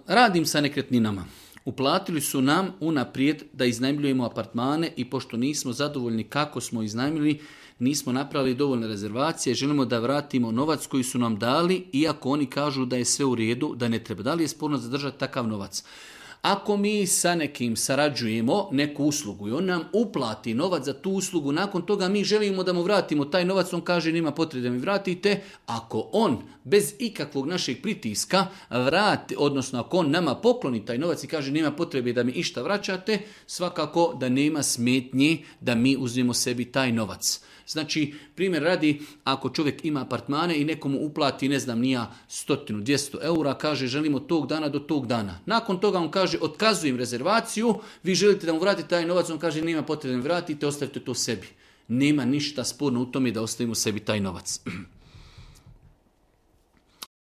radim sa nekretninama. Uplatili su nam unaprijed da iznajmljujemo apartmane i pošto nismo zadovoljni kako smo iznajmili, nismo napravili dovoljne rezervacije, želimo da vratimo novac koji su nam dali, iako oni kažu da je sve u redu, da ne treba. Da li je sporno zadržati takav novac? Ako mi sa nekim sarađujemo neku uslugu i on nam uplati novac za tu uslugu, nakon toga mi želimo da mu vratimo taj novac, on kaže nema potrebe da mi vratite. Ako on bez ikakvog našeg pritiska vrati, odnosno ako on nama pokloni taj novac i kaže nema potrebe da mi išta vraćate, svakako da nema smetnji da mi uzmemo sebi taj novac. Znači, primjer radi, ako čovjek ima apartmane i nekomu uplati, ne znam, nija 100-200 eura, kaže želimo tog dana do tog dana. Nakon toga on kaže otkazujem rezervaciju, vi želite da mu vratite taj novac, on kaže nema potrebe da mi vratite, ostavite to sebi. Nema ništa sporno u tome da ostavimo sebi taj novac.